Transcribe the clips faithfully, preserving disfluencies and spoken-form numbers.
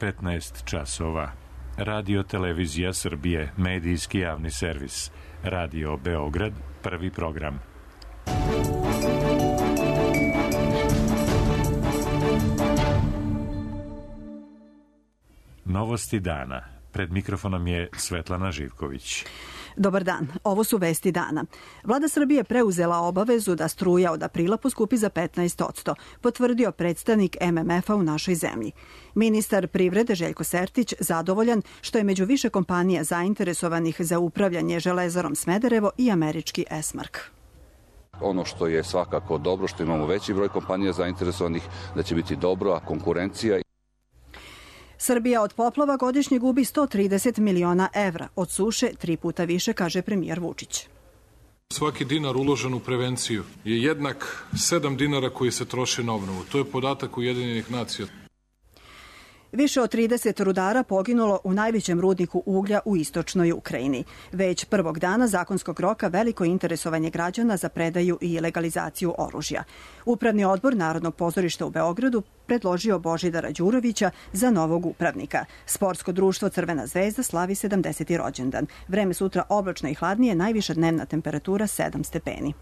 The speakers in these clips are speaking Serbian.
petnaest časova. Radio Televizija Srbije, medijski javni servis. Radio Beograd, prvi program. Novosti dana. Pred mikrofonom je Svetlana Živković. Dobar dan, ovo su vesti dana. Vlada Srbije preuzela obavezu da struja od aprila poskupi za petnaest posto, potvrdio predstavnik M M F-a u našoj zemlji. Ministar privrede Željko Sertić zadovoljan što je među više kompanija zainteresovanih za upravljanje Železarom Smederevo i američki Esmark. Ono što je svakako dobro, što imamo veći broj kompanija zainteresovanih, da će biti dobro, a konkurencija... Srbija od poplava godišnje gubi sto trideset miliona evra, od suše tri puta više, kaže premijer Vučić. Svaki dinar uložen u prevenciju je jednak sedam dinara koji se troše na obnovu. To je podatak Ujedinjenih nacija. Više od trideset rudara poginulo u najvećem rudniku uglja u istočnoj Ukrajini. Već prvog dana zakonskog roka veliko interesovanje građana za predaju i legalizaciju oružja. Upravni odbor Narodnog pozorišta u Beogradu predložio Božidara Đurovića za novog upravnika. Sportsko društvo Crvena zvezda slavi sedamdeseti rođendan. Vreme sutra oblačno i hladnije, najviša dnevna temperatura sedam stepeni.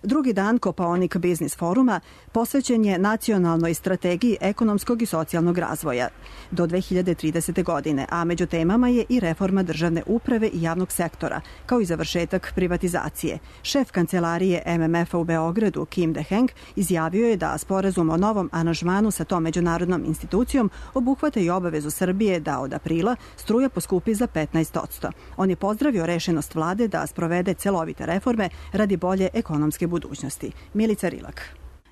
Drugi dan Kopaonik biznis foruma posvećen je nacionalnoj strategiji ekonomskog i socijalnog razvoja do dve hiljade tridesete. godine, a među temama je i reforma državne uprave i javnog sektora, kao i završetak privatizacije. Šef kancelarije M M F-a u Beogradu, Kim De-Heng, izjavio je da sporazum o novom aranžmanu sa tom međunarodnom institucijom obuhvata i obavezu Srbije da od aprila struja poskupi za petnaest posto. On je pozdravio rešenost vlade da sprovede celovite reforme radi bolje ekonomske budućnosti. Milica Rilak.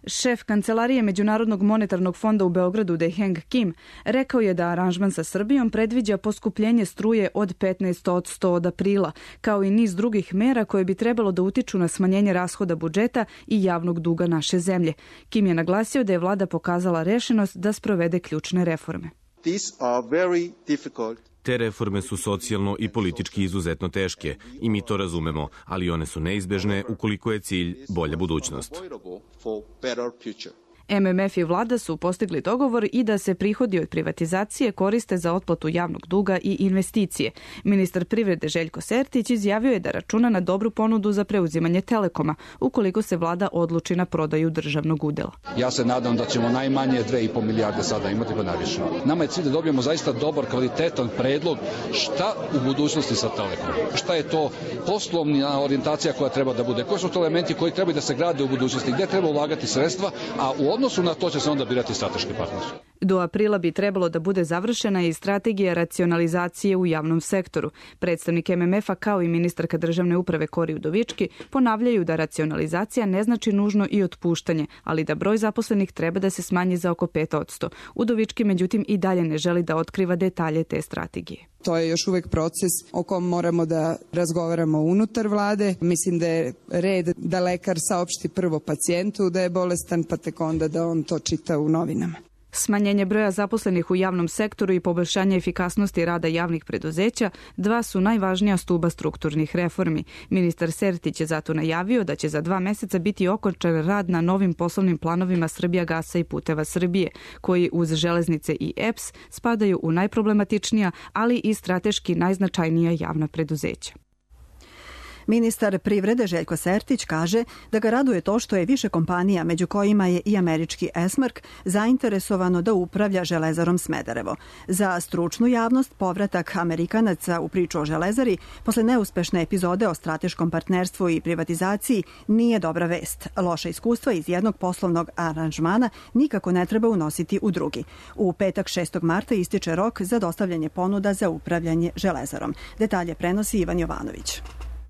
Šef Kancelarije Međunarodnog monetarnog fonda u Beogradu De-Heng Kim rekao je da aranžman sa Srbijom predviđa poskupljenje struje od petnaest posto od aprila, kao i niz drugih mera koje bi trebalo da utiču na smanjenje rashoda budžeta i javnog duga naše zemlje. Kim je naglasio da je vlada pokazala rešenost da sprovede ključne reforme. These are very difficult. Te reforme su socijalno i politički izuzetno teške i mi to razumemo, ali one su neizbežne ukoliko je cilj bolja budućnost. M M F i vlada su postigli dogovor i da se prihodi od privatizacije koriste za otplatu javnog duga i investicije. Ministar privrede Željko Sertić izjavio je da računa na dobru ponudu za preuzimanje Telekoma, ukoliko se vlada odluči na prodaju državnog udela. Ja se nadam da ćemo najmanje dve i po milijarde sada imati, pa najviše. Nama je cilj da dobijemo zaista dobar, kvalitetan predlog šta u budućnosti sa Telekomom. Šta je to poslovna orijentacija koja treba da bude, koji su to elementi koji trebaju da se grade u budućnosti, gde treba ulagati sredstva, a u odnosu na to će se onda birati strateški partner. Do aprila bi trebalo da bude završena i strategija racionalizacije u javnom sektoru. Predstavnik M M F-a kao i ministarka državne uprave Kori Udovički ponavljaju da racionalizacija ne znači nužno i otpuštanje, ali da broj zaposlenih treba da se smanji za oko pet posto. Udovički međutim i dalje ne želi da otkriva detalje te strategije. To je još uvek proces o kom moramo da razgovaramo unutar vlade. Mislim da je red da lekar saopšti prvo pacijentu da je bolestan, pa tek onda da on to čita u novinama. Smanjenje broja zaposlenih u javnom sektoru i poboljšanje efikasnosti rada javnih preduzeća dva su najvažnija stuba strukturnih reformi. Ministar Sertić je zato najavio da će za dva meseca biti okončan rad na novim poslovnim planovima Srbijagasa i Puteva Srbije, koji uz železnice i E P S spadaju u najproblematičnija, ali i strateški najznačajnija javna preduzeća. Ministar privrede Željko Sertić kaže da ga raduje to što je više kompanija, među kojima je i američki Esmark, zainteresovano da upravlja Železarom Smederevo. Za stručnu javnost povratak Amerikanaca u priču o Železari posle neuspešne epizode o strateškom partnerstvu i privatizaciji nije dobra vest. Loša iskustva iz jednog poslovnog aranžmana nikako ne treba unositi u drugi. U petak šestog marta ističe rok za dostavljanje ponuda za upravljanje Železarom. Detalje prenosi Ivan Jovanović.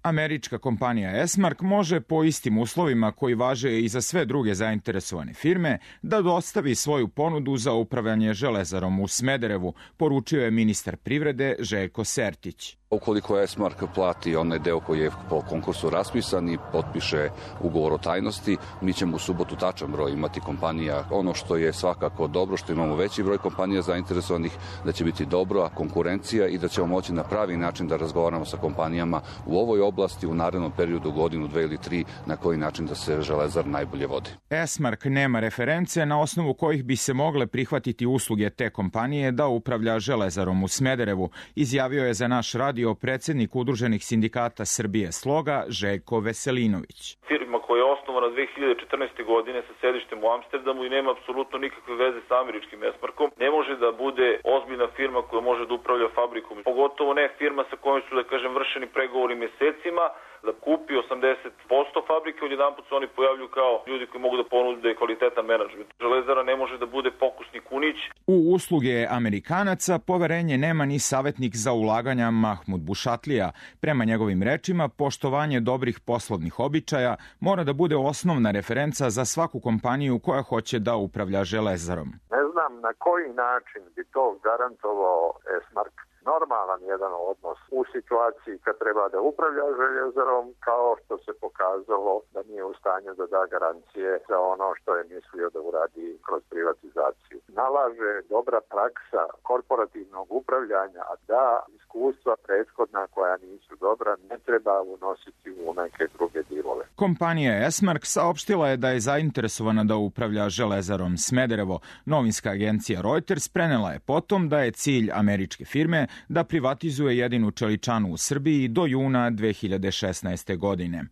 Američka kompanija Esmark može po istim uslovima koji važe i za sve druge zainteresovane firme da dostavi svoju ponudu za upravljanje Železarom u Smederevu, poručio je ministar privrede Željko Sertić. Ukoliko Esmark plati onaj deo koji je po konkursu raspisan i potpiše ugovor o tajnosti, mi ćemo u subotu tačan broj imati kompanija. Ono što je svakako dobro, što imamo veći broj kompanija zainteresovanih, da će biti dobra konkurencija i da ćemo moći na pravi način da razgovaramo sa kompanijama u ovoj oblasti u narednom periodu, godinu, dve ili tri, na koji način da se Železara najbolje vodi. Esmark nema reference na osnovu kojih bi se mogle prihvatiti usluge te kompanije da upravlja Železarom u Smederevu, izjavio je za naš radio predsednik Udruženih sindikata Srbije Sloga Željko Veselinović. Firma koja je osnovana dve hiljade četrnaeste. godine sa sedištem u Amsterdamu i nema apsolutno nikakve veze sa američkim Esmarkom, ne može da bude ozbiljna firma koja može da upravlja fabrikom. Pogotovo ne firma sa kojom su, da kažem, vršeni pregovori mesecima, da kupi osamdeset posto fabrike, odjedanput se oni pojavljuju kao ljudi koji mogu da ponude kvalitetan menadžment. Železara ne može da bude pokusni kunić. U usluge Amerikanaca poverenje nema ni savjetnik za ulaganja Mahmud Bušatlija. Prema njegovim rečima, poštovanje dobrih poslovnih običaja mora da bude osnovna referenca za svaku kompaniju koja hoće da upravlja Železarom. Ne znam na koji način bi to garantovao Esmark normalan jedan odnos u situaciji kad treba da upravlja Željezarom, kao što se pokazalo da nije u stanju da da garancije za ono što je mislio da uradi kroz privatizaciju. Nalaže dobra praksa korporativnog upravljanja, a da iskustva prethodna koja nisu dobra ne treba unositi u neke druge dilove. Kompanija Esmark saopštila je da je zainteresovana da upravlja Železarom Smederevo. Novinska agencija Reuters prenela je potom da je cilj američke firme da privatizuje jedinu čeličanu u Srbiji do juna dve hiljade šesnaeste. godine.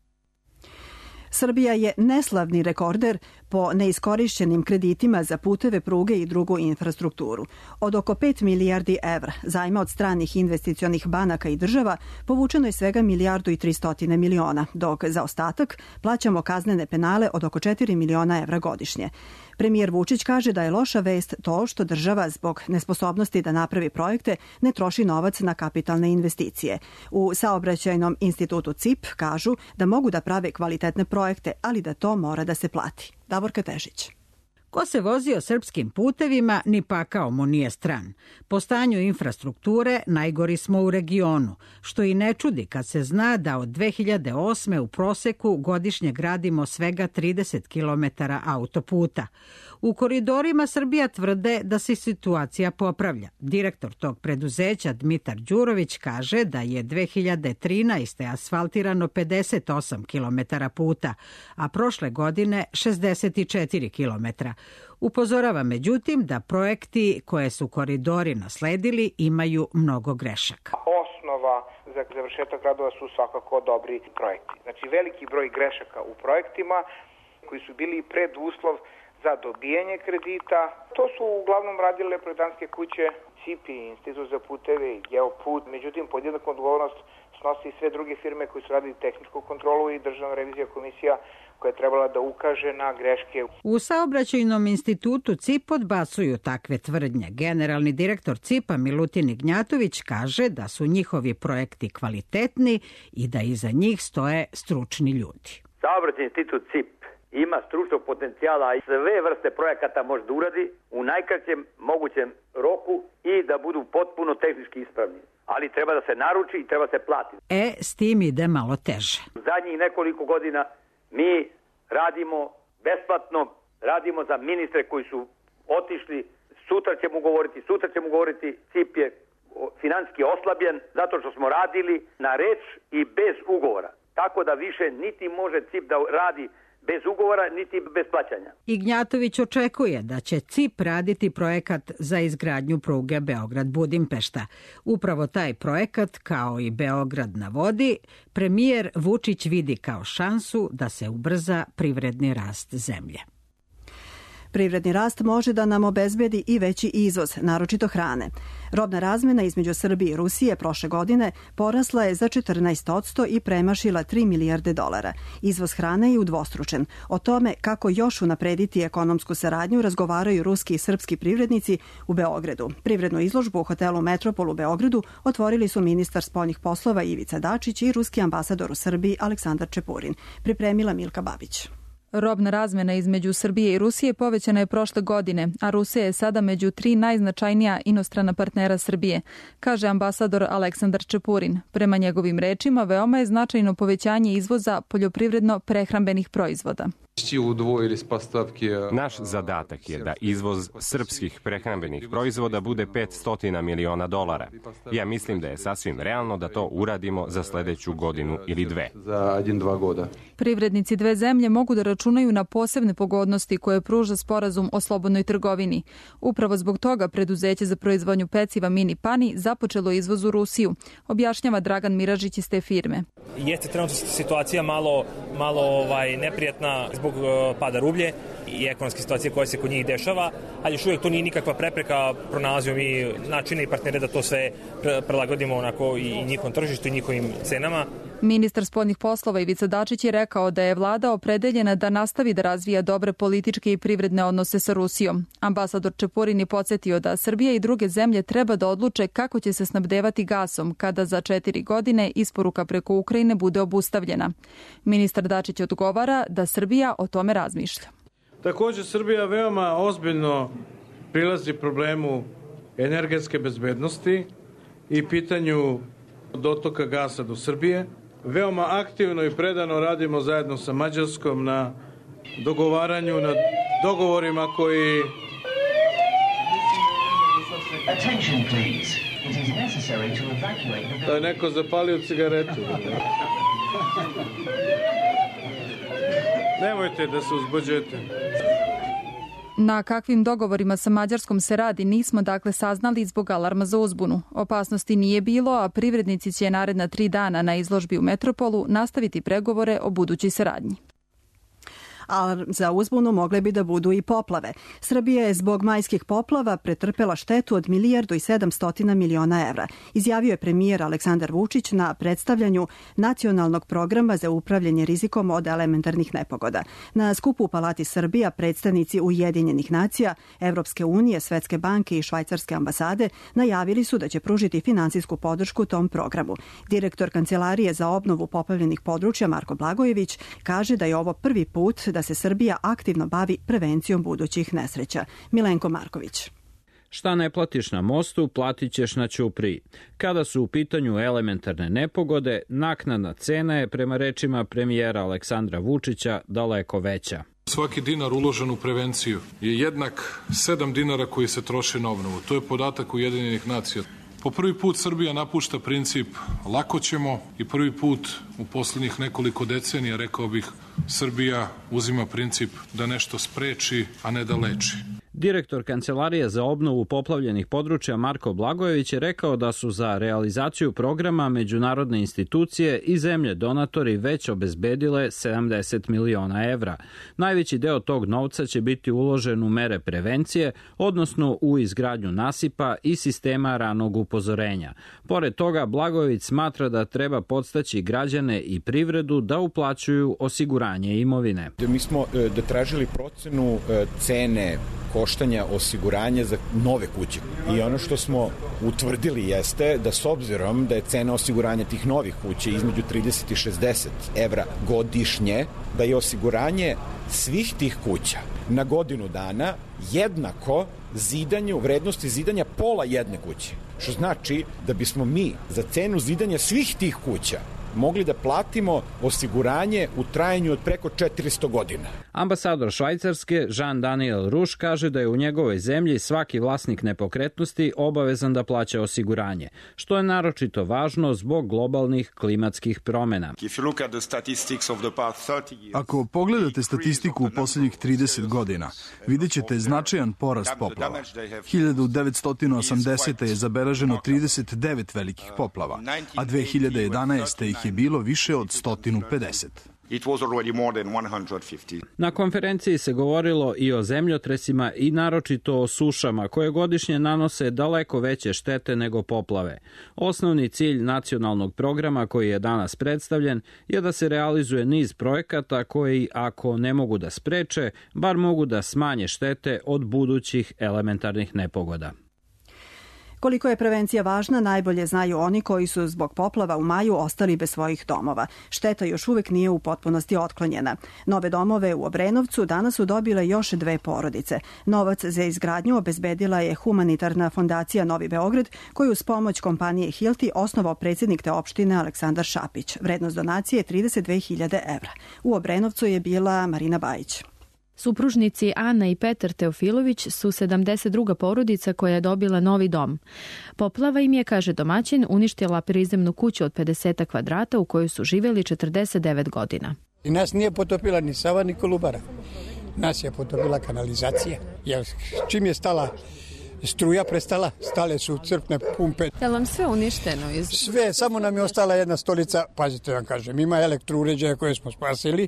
Srbija je neslavni rekorder po neiskorišćenim kreditima za puteve, pruge i drugu infrastrukturu. Od oko pet milijardi evra zajma od stranih investicionih banaka i država povučeno je svega milijardu i tristotine miliona, dok za ostatak plaćamo kaznene penale od oko četiri miliona evra godišnje. Premijer Vučić kaže da je loša vest to što država zbog nesposobnosti da napravi projekte ne troši novac na kapitalne investicije. U Saobraćajnom institutu C I P kažu da mogu da prave kvalitetne projekte, ali da to mora da se plati. Davorka Težić. Ko se vozio srpskim putevima, ni pakao mu nije stran. Po stanju infrastrukture najgori smo u regionu, što i ne čudi kad se zna da od dve hiljade osme. u proseku godišnje gradimo svega trideset kilometara autoputa. U koridorima Srbija tvrde da se situacija popravlja. Direktor tog preduzeća Dmitar Đurović kaže da je dve hiljade trinaeste. asfaltirano pedeset osam kilometara puta, a prošle godine šezdeset četiri kilometra. Upozorava međutim da projekti koje su koridori nasledili imaju mnogo grešaka. Osnova za završetak radova su svakako dobri projekti. Znači veliki broj grešaka u projektima koji su bili preduslov za dobijanje kredita. To su uglavnom radile projektantske kuće C I P I, Institut za puteve i Geoput. Međutim, podjednaku odgovornost snosi i sve druge firme koji su radili tehničku kontrolu i Državna revizija komisija koja je trebala da ukaže na greške. U Saobraćajnom institutu C I P odbacuju takve tvrdnje. Generalni direktor C I P-a Milutin Ignjatović kaže da su njihovi projekti kvalitetni i da iza njih stoje stručni ljudi. Saobraćajni institut C I P ima stručnog potencijala i sve vrste projekata može da uradi u najkraćem mogućem roku i da budu potpuno tehnički ispravni. Ali treba da se naruči i treba se plati. E, s tim ide malo teže. Zadnjih nekoliko godina mi radimo besplatno, radimo za ministre koji su otišli, sutra ćemo govoriti, sutra ćemo govoriti, C I P je financijski oslabljen zato što smo radili na reč i bez ugovora. Tako da više niti može C I P da radi bez ugovora, niti bez plaćanja. Ignjatović očekuje da će C I P raditi projekat za izgradnju pruge Beograd-Budimpešta. Upravo taj projekat, kao i Beograd na vodi, premijer Vučić vidi kao šansu da se ubrza privredni rast zemlje. Privredni rast može da nam obezbedi i veći izvoz, naročito hrane. Robna razmena između Srbije i Rusije prošle godine porasla je za četrnaest posto i premašila tri milijarde dolara. Izvoz hrane je udvostručen. O tome kako još unaprediti ekonomsku saradnju razgovaraju ruski i srpski privrednici u Beogradu. Privrednu izložbu u hotelu Metropol u Beogradu otvorili su ministar spoljnih poslova Ivica Dačić i ruski ambasador u Srbiji Aleksandar Čepurin. Pripremila Milka Babić. Robna razmjena između Srbije i Rusije povećana je prošle godine, a Rusija je sada među tri najznačajnija inostrana partnera Srbije, kaže ambasador Aleksandar Čepurin. Prema njegovim rečima, veoma je značajno povećanje izvoza poljoprivredno-prehrambenih proizvoda. Naš zadatak je da izvoz srpskih prehrambenih proizvoda bude petsto miliona dolara. Ja mislim da je sasvim realno da to uradimo za sledeću godinu ili dve. Privrednici dve zemlje mogu da računaju na posebne pogodnosti koje pruža sporazum o slobodnoj trgovini. Upravo zbog toga preduzeće za proizvodnju peciva Mini Pani započelo izvoz u Rusiju, objašnjava Dragan Miražić iz te firme. Jeste trenutno situacija malo, malo ovaj, neprijatna zbog uh, pada rublje i ekonomske situacije koja se kod njih dešava, ali još uvijek to nije nikakva prepreka, pronalazimo mi načine i partnere da to sve prilagodimo onako i njihovom tržištu i njihovim cenama. Ministar spoljnih poslova Ivica Dačić je rekao da je vlada opredeljena da nastavi da razvija dobre političke i privredne odnose sa Rusijom. Ambasador Čepurin je podsjetio da Srbija i druge zemlje treba da odluče kako će se snabdevati gasom kada za četiri godine isporuka preko Ukrajine bude obustavljena. Ministar Dačić odgovara da Srbija o tome razmišlja. Također Srbija veoma ozbiljno prilazi problemu energetske bezbednosti i pitanju dotoka gasa do Srbije. Veoma aktivno i predano radimo zajedno sa Mađarskom na dogovaranju, na dogovorima koji... Da je neko zapalio cigaretu. Nemojte da se uzbuđujete. Na kakvim dogovorima sa Mađarskom se radi nismo dakle saznali zbog alarma za uzbunu. Opasnosti nije bilo, a privrednici će naredna tri dana na izložbi u Metropolu nastaviti pregovore o budućoj saradnji. Alarm za uzbunu mogle bi da budu i poplave. Srbija je zbog majskih poplava pretrpela štetu od milijardu i sedamstotina miliona evra, izjavio je premijer Aleksandar Vučić na predstavljanju Nacionalnog programa za upravljanje rizikom od elementarnih nepogoda. Na skupu u Palati Srbija predstavnici Ujedinjenih nacija, Evropske unije, Svetske banke i Švajcarske ambasade najavili su da će pružiti finansijsku podršku tom programu. Direktor Kancelarije za obnovu poplavljenih područja Marko Blagojević kaže da je ovo prvi put da se Srbija aktivno bavi prevencijom budućih nesreća. Milenko Marković. Šta ne platiš na mostu, platit ćeš na ćupriji. Kada su u pitanju elementarne nepogode, naknadna cena je, prema rečima premijera Aleksandra Vučića, daleko veća. Svaki dinar uložen u prevenciju je jednak sedam dinara koji se troše na obnovu. To je podatak Ujedinjenih nacija. Po prvi put Srbija napušta princip lako ćemo i prvi put u poslednjih nekoliko decenija, rekao bih, Srbija uzima princip da nešto spreči, a ne da leči. Direktor Kancelarije za obnovu poplavljenih područja Marko Blagojević je rekao da su za realizaciju programa međunarodne institucije i zemlje donatori već obezbedile sedamdeset miliona evra. Najveći deo tog novca će biti uložen u mere prevencije, odnosno u izgradnju nasipa i sistema ranog upozorenja. Pored toga, Blagojević smatra da treba podstaći građane i privredu da uplaćuju osiguranje imovine. Mi smo da tražili procenu cene koštanja osiguranja za nove kuće. I ono što smo utvrdili jeste da s obzirom da je cena osiguranja tih novih kuća između trideset i šezdeset evra godišnje, da je osiguranje svih tih kuća na godinu dana jednako zidanju, vrednosti zidanja pola jedne kuće. Što znači da bismo mi za cenu zidanja svih tih kuća mogli da platimo osiguranje u trajanju od preko četiristo godina. Ambasador Švajcarske Jean-Daniel Ruš kaže da je u njegovoj zemlji svaki vlasnik nepokretnosti obavezan da plaća osiguranje, što je naročito važno zbog globalnih klimatskih promena. Ako pogledate statistiku u poslednjih trideset godina, vidjet ćete značajan porast poplava. hiljadu devetsto osamdesete. je zabeleženo trideset devet velikih poplava, a dve hiljade jedanaeste. ih je bilo više od sto pedeset. Na konferenciji se govorilo i o zemljotresima i naročito o sušama koje godišnje nanose daleko veće štete nego poplave. Osnovni cilj nacionalnog programa koji je danas predstavljen je da se realizuje niz projekata koji, ako ne mogu da spreče, bar mogu da smanje štete od budućih elementarnih nepogoda. Koliko je prevencija važna, najbolje znaju oni koji su zbog poplava u maju ostali bez svojih domova. Šteta još uvek nije u potpunosti otklonjena. Nove domove u Obrenovcu danas su dobile još dve porodice. Novac za izgradnju obezbedila je humanitarna fondacija Novi Beograd, koju uz pomoć kompanije Hilti osnovao predsjednik te opštine Aleksandar Šapić. Vrednost donacije je trideset dve hiljade evra. U Obrenovcu je bila Marina Bajić. Supružnici Ana i Petar Teofilović su sedamdeset druga porodica koja je dobila novi dom. Poplava im je, kaže domaćin, uništila prizemnu kuću od pedeset kvadrata u kojoj su živjeli četrdeset devet godina. I nas nije potopila ni Sava ni Kolubara. Nas je potopila kanalizacija. Jer čim je stala struja prestala, stale su crpne pumpe. Je li vam sve uništeno? Iz... Sve, samo nam je ostala jedna stolica, pazite vam kažem, ima elektrouređaja koje smo spasili,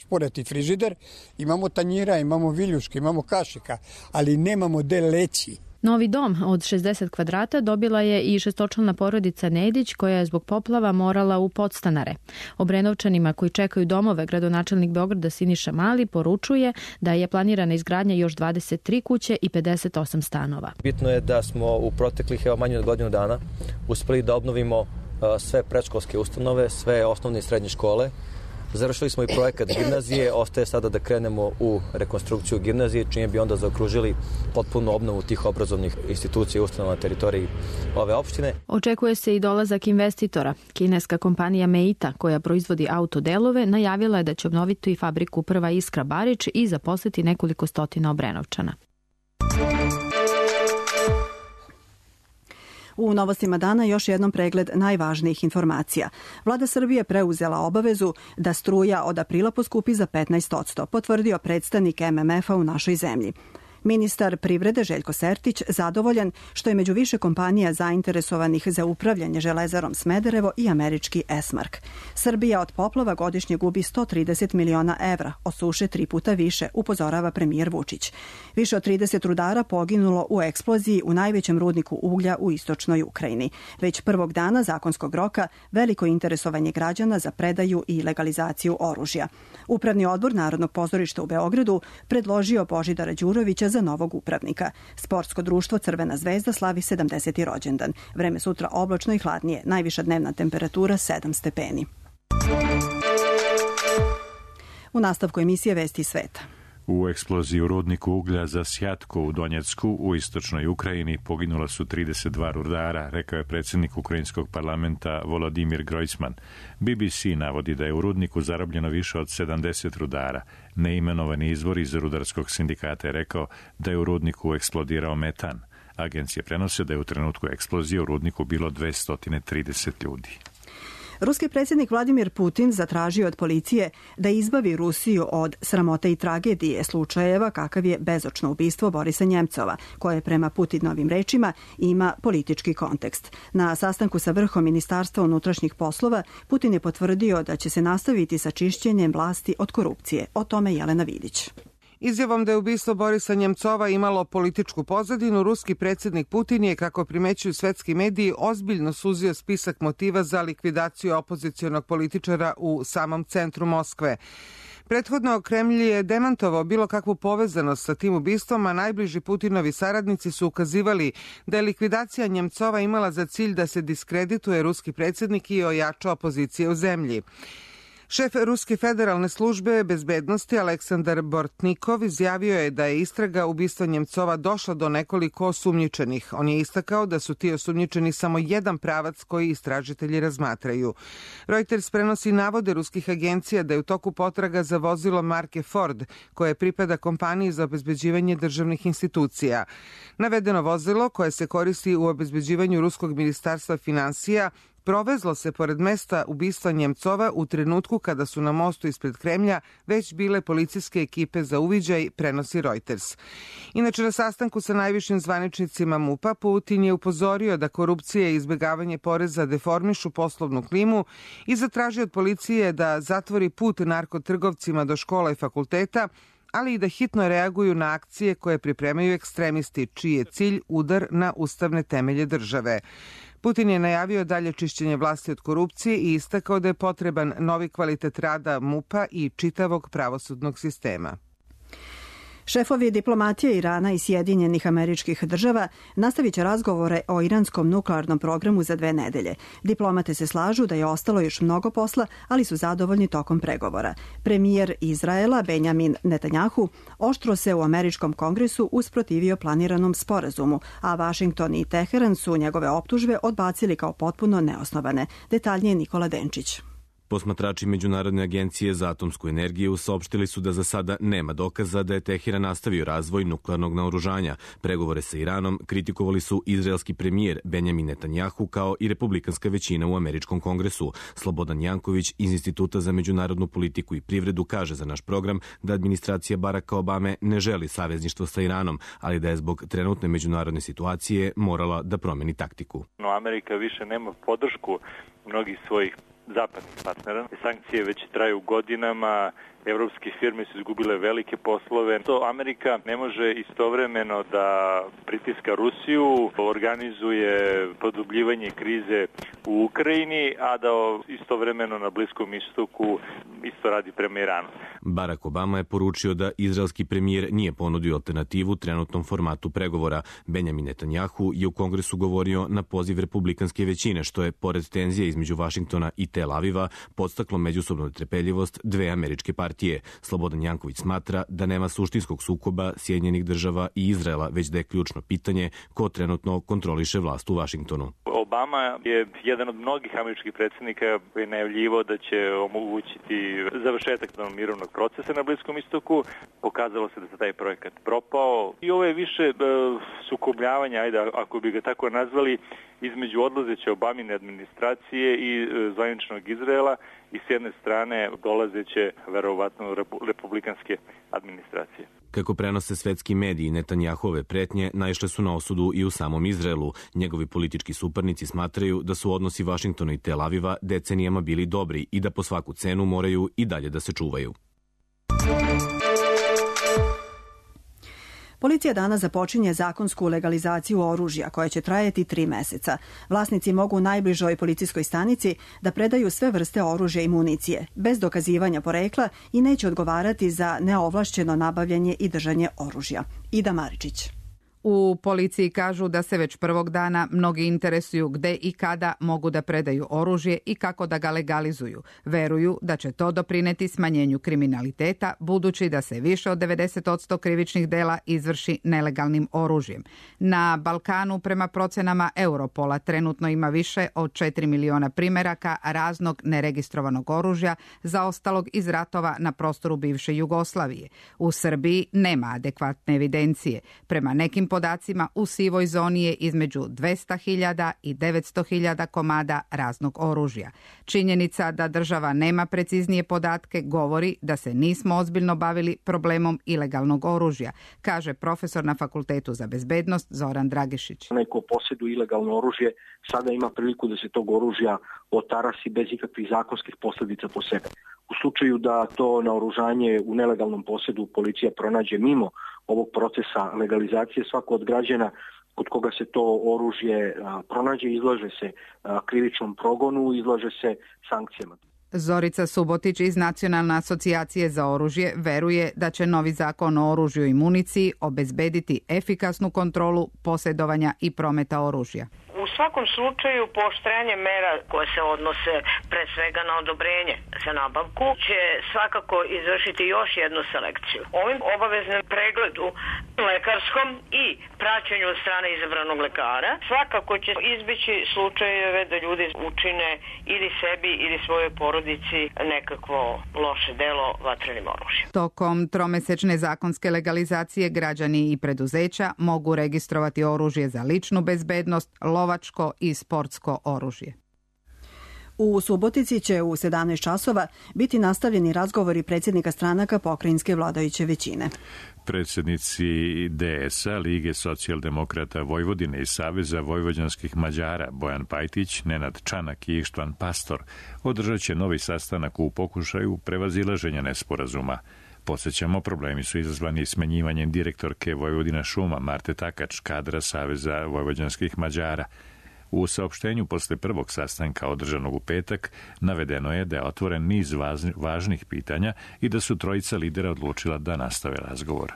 sporeti frižider, imamo tanjira, imamo viljuške, imamo kašika, ali nemamo gde leći. Novi dom od šezdeset kvadrata dobila je i šestočlana porodica Nedić koja je zbog poplava morala u podstanare. Obrenovčanima koji čekaju domove, gradonačelnik Beograda Siniša Mali poručuje da je planirana izgradnja još dvadeset tri kuće i pedeset osam stanova. Bitno je da smo u proteklih evo manje od godinu dana uspeli da obnovimo sve predškolske ustanove, sve osnovne i srednje škole. Završili smo i projekat gimnazije, ostaje sada da krenemo u rekonstrukciju gimnazije, čime bi onda zaokružili potpunu obnovu tih obrazovnih institucija i ustanova na teritoriji ove opštine. Očekuje se i dolazak investitora. Kineska kompanija Meita, koja proizvodi autodelove, najavila je da će obnoviti fabriku Prva Iskra Barič i zaposliti nekoliko stotina Obrenovčana. U novostima dana još jednom pregled najvažnijih informacija. Vlada Srbije preuzela obavezu da struja od aprila poskupi za petnaest posto, potvrdio predstavnik em em ef-a u našoj zemlji. Ministar privrede Željko Sertić zadovoljan što je među više kompanija zainteresovanih za upravljanje Železarom Smederevo i američki Esmark. Srbija od poplava godišnje gubi sto trideset miliona evra, od suše tri puta više, upozorava premijer Vučić. Više od trideset rudara poginulo u eksploziji u najvećem rudniku uglja u istočnoj Ukrajini. Već prvog dana zakonskog roka veliko interesovanje građana za predaju i legalizaciju oružja. Upravni odbor Narodnog pozorišta u Beogradu predložio Božidara Đurovića za novog upravnika. Sportsko društvo Crvena zvezda slavi sedamdeseti rođendan. Vreme sutra oblačno i hladnije. Najviša dnevna temperatura sedam stepeni. U nastavku emisije Vesti sveta. U eksploziji u rudniku uglja za Sjatko u Donjecku u istočnoj Ukrajini poginula su trideset dva rudara, rekao je predsjednik ukrajinskog parlamenta Volodimir Grojsman. B B C navodi da je u rudniku zarobljeno više od sedamdeset rudara. Neimenovani izvor iz rudarskog sindikata je rekao da je u rudniku eksplodirao metan. Agencije prenose da je u trenutku eksplozije u rudniku bilo dvesta trideset ljudi. Ruski predsjednik Vladimir Putin zatražio od policije da izbavi Rusiju od sramote i tragedije slučajeva kakav je bezočno ubistvo Borisa Njemcova, koje prema Putinovim rečima ima politički kontekst. Na sastanku sa vrhom Ministarstva unutrašnjih poslova Putin je potvrdio da će se nastaviti sa čišćenjem vlasti od korupcije. O tome Jelena Vidić. Izjavom da je ubistvo Borisa Njemcova imalo političku pozadinu, ruski predsjednik Putin je, kako primećuju svetski mediji, ozbiljno suzio spisak motiva za likvidaciju opozicionog političara u samom centru Moskve. Prethodno Kremlj je demantovao bilo kakvu povezanost sa tim ubistvom, a najbliži Putinovi saradnici su ukazivali da je likvidacija Njemcova imala za cilj da se diskredituje ruski predsjednik i ojača opozicije u zemlji. Šef Ruske federalne službe bezbednosti Aleksandar Bortnikov izjavio je da je istraga ubistva Njemcova došla do nekoliko osumnjičenih. On je istakao da su ti osumnjičeni samo jedan pravac koji istražitelji razmatraju. Reuters prenosi navode ruskih agencija da je u toku potraga za vozilo marke Ford, koje pripada kompaniji za obezbeđivanje državnih institucija. Navedeno vozilo, koje se koristi u obezbeđivanju ruskog ministarstva finansija, provezlo se pored mesta ubistva Njemcova u trenutku kada su na mostu ispred Kremlja već bile policijske ekipe za uviđaj, prenosi Reuters. Inače, na sastanku sa najvišim zvaničnicima MUP-a Putin je upozorio da korupcija i izbjegavanje poreza deformišu poslovnu klimu i zatražio od policije da zatvori put narkotrgovcima do škola i fakulteta, ali i da hitno reaguju na akcije koje pripremaju ekstremisti, čiji je cilj udar na ustavne temelje države. Putin je najavio dalje čišćenje vlasti od korupcije i istakao da je potreban novi kvalitet rada MUP-a i čitavog pravosudnog sistema. Šefovi diplomatije Irana i Sjedinjenih Američkih Država nastavit će razgovore o iranskom nuklearnom programu za dve nedelje. Diplomate se slažu da je ostalo još mnogo posla, ali su zadovoljni tokom pregovora. Premijer Izraela Benjamin Netanjahu oštro se u Američkom kongresu usprotivio planiranom sporazumu, a Vašington i Teheran su njegove optužbe odbacili kao potpuno neosnovane. Detaljnije Nikola Denčić. Posmatrači Međunarodne agencije za atomsku energiju saopštili su da za sada nema dokaza da je Teheran nastavio razvoj nuklearnog naoružanja. Pregovore sa Iranom kritikovali su izraelski premijer Benjamin Netanjahu kao i republikanska većina u Američkom kongresu. Slobodan Janković iz Instituta za međunarodnu politiku i privredu kaže za naš program da administracija Baracka Obame ne želi savezništvo sa Iranom, ali da je zbog trenutne međunarodne situacije morala da promeni taktiku. No, Amerika više nema podršku mnogih svojih zapadnih partnera. Sankcije već traju godinama, evropske firme su izgubile velike poslove. To Amerika ne može istovremeno da pritiska Rusiju, organizuje produbljivanje krize u Ukrajini, a da istovremeno na Bliskom istoku isto radi prema Iranu. Barack Obama je poručio da izraelski premijer nije ponudio alternativu trenutnom formatu pregovora. Benjamin Netanjahu je u kongresu govorio na poziv republikanske većine, što je, pored tenzije između Vašingtona i Tel Aviva, podstaklo međusobnu netrpeljivost dve američke partije. Slobodan Janković smatra da nema suštinskog sukoba Sjedinjenih Država i Izraela, već da je ključno pitanje ko trenutno kontroliše vlast u Vašingtonu. Obama je jedan od mnogih američkih predsjednika koji je najavljivao da će omogućiti završetak mirovnog procesa na Bliskom istoku. Pokazalo se da se taj projekat propao i ovo je više e, sukobljavanja, ajde, ako bi ga tako nazvali, između odlazeće Obamine administracije i e, zvaničnog Izraela i s jedne strane dolazeće verovatno republikanske administracije. Kako prenose svetski mediji, Netanjahove pretnje naišle su na osudu i u samom Izraelu. Njegovi politički suparnici smatraju da su odnosi Vašingtona i Tel Aviva decenijama bili dobri i da po svaku cenu moraju i dalje da se čuvaju. Policija danas započinje zakonsku legalizaciju oružja koja će trajati tri meseca. Vlasnici mogu u najbližoj policijskoj stanici da predaju sve vrste oružja i municije, bez dokazivanja porekla i neće odgovarati za neovlašćeno nabavljanje i držanje oružja. Ida Maričić. U policiji kažu da se već prvog dana mnogi interesuju gde i kada mogu da predaju oružje i kako da ga legalizuju. Veruju da će to doprineti smanjenju kriminaliteta, budući da se više od devedeset posto krivičnih dela izvrši nelegalnim oružjem. Na Balkanu, prema procenama Europola, trenutno ima više od četiri miliona primeraka raznog neregistrovanog oružja zaostalog iz ratova na prostoru bivše Jugoslavije. U Srbiji nema adekvatne evidencije. Prema nekim podacima u sivoj zoni je između dvesta hiljada i devetsto hiljada komada raznog oružja. Činjenica da država nema preciznije podatke govori da se nismo ozbiljno bavili problemom ilegalnog oružja, kaže profesor na Fakultetu za bezbednost Zoran Dragišić. Onaj ko posjeduje ilegalno oružje sada ima priliku da se tog oružja otarasi bez ikakvih zakonskih posljedica po sebe. U slučaju da to naoružanje u nelegalnom posjedu policija pronađe mimo ovog procesa legalizacije, svako od građana kod koga se to oružje pronađe izlaže se krivičnom progonu, izlaže se sankcijama. Zorica Subotić iz Nacionalne asocijacije za oružje veruje da će novi zakon o oružju i municiji obezbediti efikasnu kontrolu posjedovanja i prometa oružja. U svakom slučaju pooštrenje mera koje se odnose pre svega na odobrenje za nabavku će svakako izvršiti još jednu selekciju. Ovim obaveznom pregledu lekarskom i praćenju od strane izabranog lekara svakako će izbeći slučajeve da ljudi učine ili sebi ili svojoj porodici nekakvo loše delo vatrenim oružjem. Tokom tromesečne zakonske legalizacije građani i preduzeća mogu registrovati oružje za ličnu bezbednost, lovačko i sportsko oružje. U Subotici će u sedamnaest časova biti nastavljeni razgovori predsjednika stranaka pokrajinske vladajuće većine. Predsjednici D S A, Lige socijaldemokrata Vojvodine i Saveza vojvođanskih Mađara Bojan Pajtić, Nenad Čanak i Ištvan Pastor održat će novi sastanak u pokušaju prevazilaženja nesporazuma. Podsjećamo, problemi su izazvani smenjivanjem direktorke Vojvodina šuma Marte Takač, kadra Saveza vojvođanskih Mađara. U saopštenju posle prvog sastanka održanog u petak navedeno je da je otvoren niz važnih pitanja i da su trojica lidera odlučila da nastave razgovor.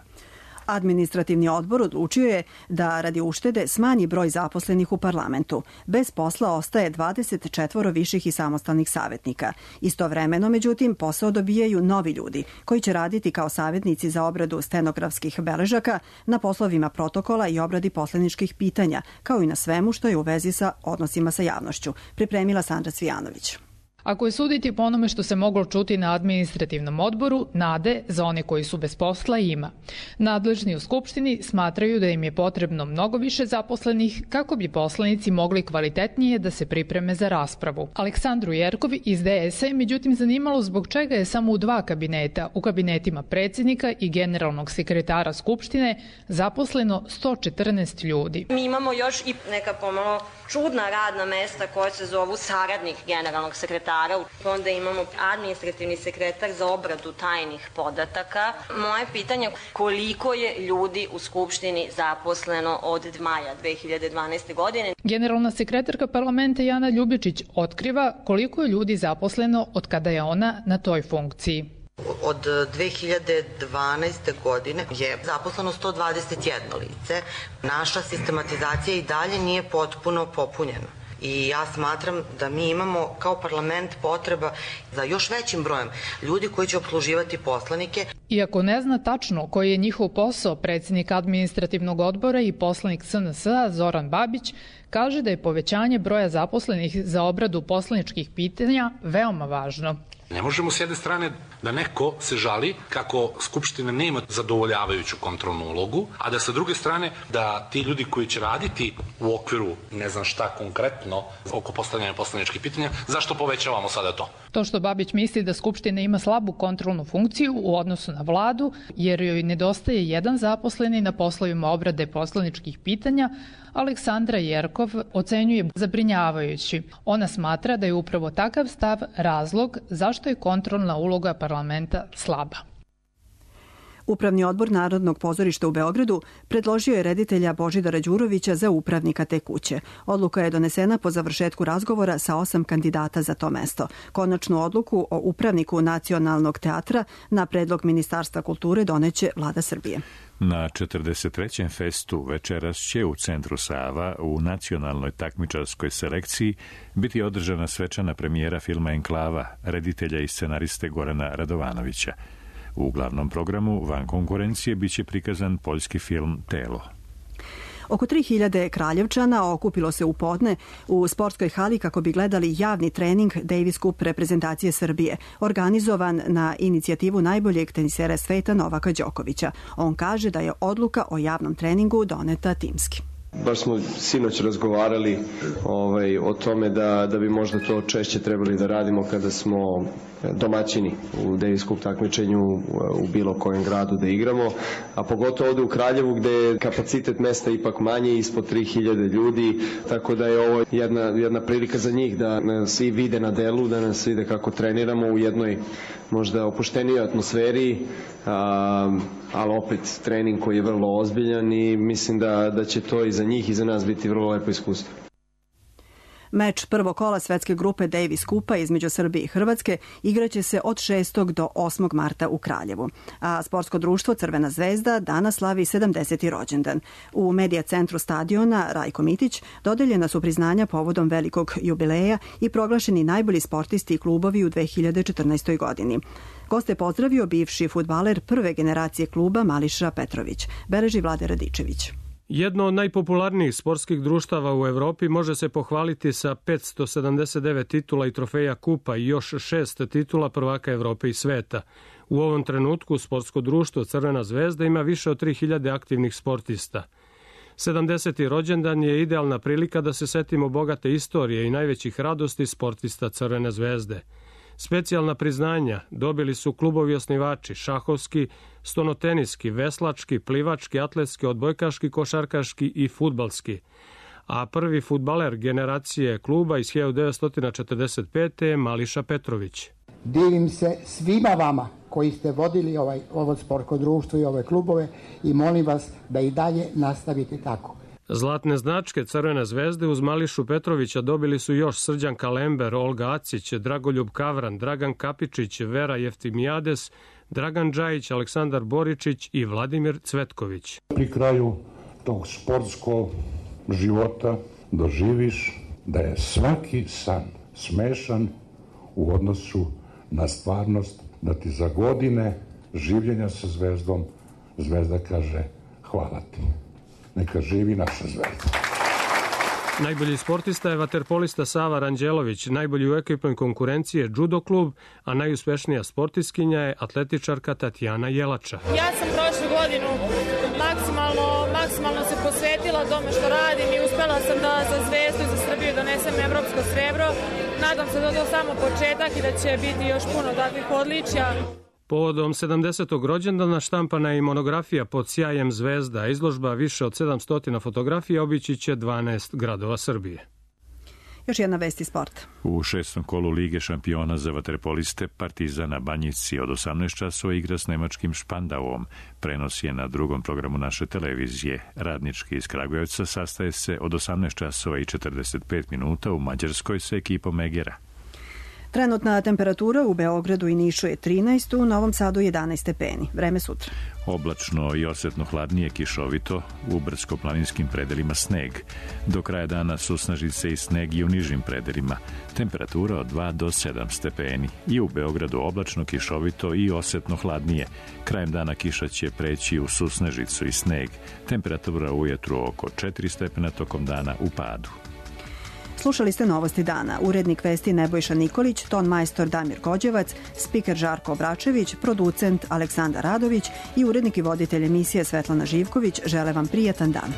Administrativni odbor odlučio je da radi uštede smanji broj zaposlenih u parlamentu. Bez posla ostaje dvadeset četvoro viših i samostalnih savjetnika. Istovremeno, međutim, posao dobijaju novi ljudi koji će raditi kao savjetnici za obradu stenografskih beležaka na poslovima protokola i obradi poslaničkih pitanja, kao i na svemu što je u vezi sa odnosima sa javnošću, pripremila Sandra Cvijanović. Ako je suditi po onome što se moglo čuti na administrativnom odboru, nade za one koji su bez posla ima. Nadležni u Skupštini smatraju da im je potrebno mnogo više zaposlenih kako bi poslanici mogli kvalitetnije da se pripreme za raspravu. Aleksandru Jerkov iz D S A je međutim zanimalo zbog čega je samo u dva kabineta, u kabinetima predsjednika i generalnog sekretara Skupštine, zaposleno sto četrnaest ljudi. Mi imamo još i neka pomalo čudna radna mesta koja se zovu saradnik generalnog sekretara. Onda imamo administrativni sekretar za obradu tajnih podataka. Moje pitanje je koliko je ljudi u Skupštini zaposleno od maja dve hiljade dvanaeste. godine? Generalna sekretarka parlamenta Jana Ljubičić otkriva koliko je ljudi zaposleno od kada je ona na toj funkciji. Od dve hiljade dvanaeste. godine je zaposleno sto dvadeset jedno lice. Naša sistematizacija i dalje nije potpuno popunjena. I ja smatram da mi imamo kao parlament potreba za još većim brojem ljudi koji će opsluživati poslanike. Iako ne zna tačno koji je njihov posao, predsjednik administrativnog odbora i poslanik S N S-a Zoran Babić kaže da je povećanje broja zaposlenih za obradu poslaničkih pitanja veoma važno. Ne možemo s jedne strane da neko se žali kako Skupština nema zadovoljavajuću kontrolnu ulogu, a da sa druge strane da ti ljudi koji će raditi u okviru ne znam šta konkretno oko postavljanja poslaničkih pitanja, zašto povećavamo sada to? To što Babić misli da Skupština ima slabu kontrolnu funkciju u odnosu na vladu, jer joj nedostaje jedan zaposleni na poslovima obrade poslaničkih pitanja, Aleksandra Jerkov ocenjuje zabrinjavajući. Ona smatra da je upravo takav stav razlog zašto je kontrolna uloga parlamenta slaba. Upravni odbor Narodnog pozorišta u Beogradu predložio je reditelja Božidara Đurovića za upravnika te kuće. Odluka je donesena po završetku razgovora sa osam kandidata za to mesto. Konačnu odluku o upravniku Nacionalnog teatra na predlog Ministarstva kulture doneće Vlada Srbije. Na četrdeset trećem festu večeras će u centru Sava u nacionalnoj takmičarskoj selekciji biti održana svečana premijera filma Enklava, reditelja i scenariste Gorana Radovanovića. U glavnom programu van konkurencije biće prikazan poljski film Telo. Oko tri hiljade Kraljevčana okupilo se u podne u sportskoj hali kako bi gledali javni trening Davis Cup reprezentacije Srbije, organizovan na inicijativu najboljeg tenisera sveta Novaka Đokovića. On kaže da je odluka o javnom treningu doneta timski. Baš smo sinoć razgovarali ovaj, o tome da, da bi možda to češće trebali da radimo kada smo domaćini u Davis Cup takmičenju u bilo kojem gradu da igramo, a pogotovo ovde u Kraljevu gde je kapacitet mesta ipak manji, ispod tri hiljade ljudi, tako da je ovo jedna, jedna prilika za njih da nas i vide na delu, da nas vide kako treniramo u jednoj možda opuštenijoj atmosferi, a, ali opet trening koji je vrlo ozbiljan i mislim da, da će to i za njih i za nas biti vrlo lepo iskustvo. Meč prvog kola svetske grupe Davis Cupa između Srbije i Hrvatske igraće se od šestog do osmog marta u Kraljevu. A sportsko društvo Crvena zvezda danas slavi sedamdeseti rođendan. U medija centru stadiona Rajko Mitić dodeljena su priznanja povodom velikog jubileja i proglašeni najbolji sportisti i klubovi u dve hiljade četrnaestoj. godini. Goste je pozdravio bivši fudbaler prve generacije kluba Mališa Petrović. Beleži Vlade Radičević. Jedno od najpopularnijih sportskih društava u Evropi može se pohvaliti sa petsto sedamdeset devet titula i trofeja kupa i još šest titula prvaka Evrope i sveta. U ovom trenutku sportsko društvo Crvena zvezda ima više od tri hiljade aktivnih sportista. sedamdeseti rođendan je idealna prilika da se setimo bogate istorije i najvećih radosti sportista Crvene zvezde. Specijalna priznanja dobili su klubovi osnivači šahovski, stonoteniski, veslački, plivački, atletski, odbojkaški, košarkaški i fudbalski. A prvi fudbaler generacije kluba iz hiljadu devetsto četrdeset pete. je Mališa Petrović. Divim se svima vama koji ste vodili ovaj, ovo sportsko društvo i ove klubove i molim vas da i dalje nastavite tako. Zlatne značke Crvene zvezde uz Mališu Petrovića dobili su još Srđan Kalember, Olga Acić, Dragoljub Kavran, Dragan Kapičić, Vera Jeftimijades, Dragan Džajić, Aleksandar Boričić i Vladimir Cvetković. Pri kraju tog sportskog života doživiš da je svaki san smešan u odnosu na stvarnost, da ti za godine življenja sa zvezdom zvezda kaže hvala ti. Neka živi naša zvezda. Najbolji sportista je vaterpolista Sava Ranđelović, najbolji u ekipnoj konkurenciji je judo klub, a najuspešnija sportiskinja je atletičarka Tatjana Jelača. Ja sam prošlu godinu maksimalno, maksimalno se posvetila tome što radim i uspela sam da za Zvezdu i za Srbiju donesem evropsko srebro. Nadam se da je to samo početak i da će biti još puno takvih odličja. Povodom sedamdesetog rođendana štampana je i monografija Pod sjajem zvezda. Izložba više od sedamsto fotografija obići će dvanaest gradova Srbije. Još jedna vest iz sporta. U šestom kolu Lige šampiona za vaterpoliste Partizan na Banjici od osamnaest časova igra s nemačkim Špandauom. Prenos je na drugom programu naše televizije. Radnički iz Kragujevca sastaje se od osamnaest časova i četrdeset pet minuta u Mađarskoj sa ekipom Egera. Trenutna temperatura u Beogradu i Nišu je trinaest, u Novom Sadu jedanaest stepeni. Vreme sutra. Oblačno i osetno hladnije, kišovito, u brdsko-planinskim predelima sneg. Do kraja dana susnažice i sneg i u nižim predelima. Temperatura od dva do sedam stepeni. I u Beogradu oblačno, kišovito i osetno hladnije. Krajem dana kiša će preći u susnežicu i sneg. Temperatura u ujutru oko četiri stepena, tokom dana u padu. Slušali ste Novosti dana. Urednik vesti Nebojša Nikolić, ton majstor Damir Gođevac, spiker Žarko Obračević, producent Aleksandar Radović i urednik i voditelj emisije Svetlana Živković žele vam prijatan dan.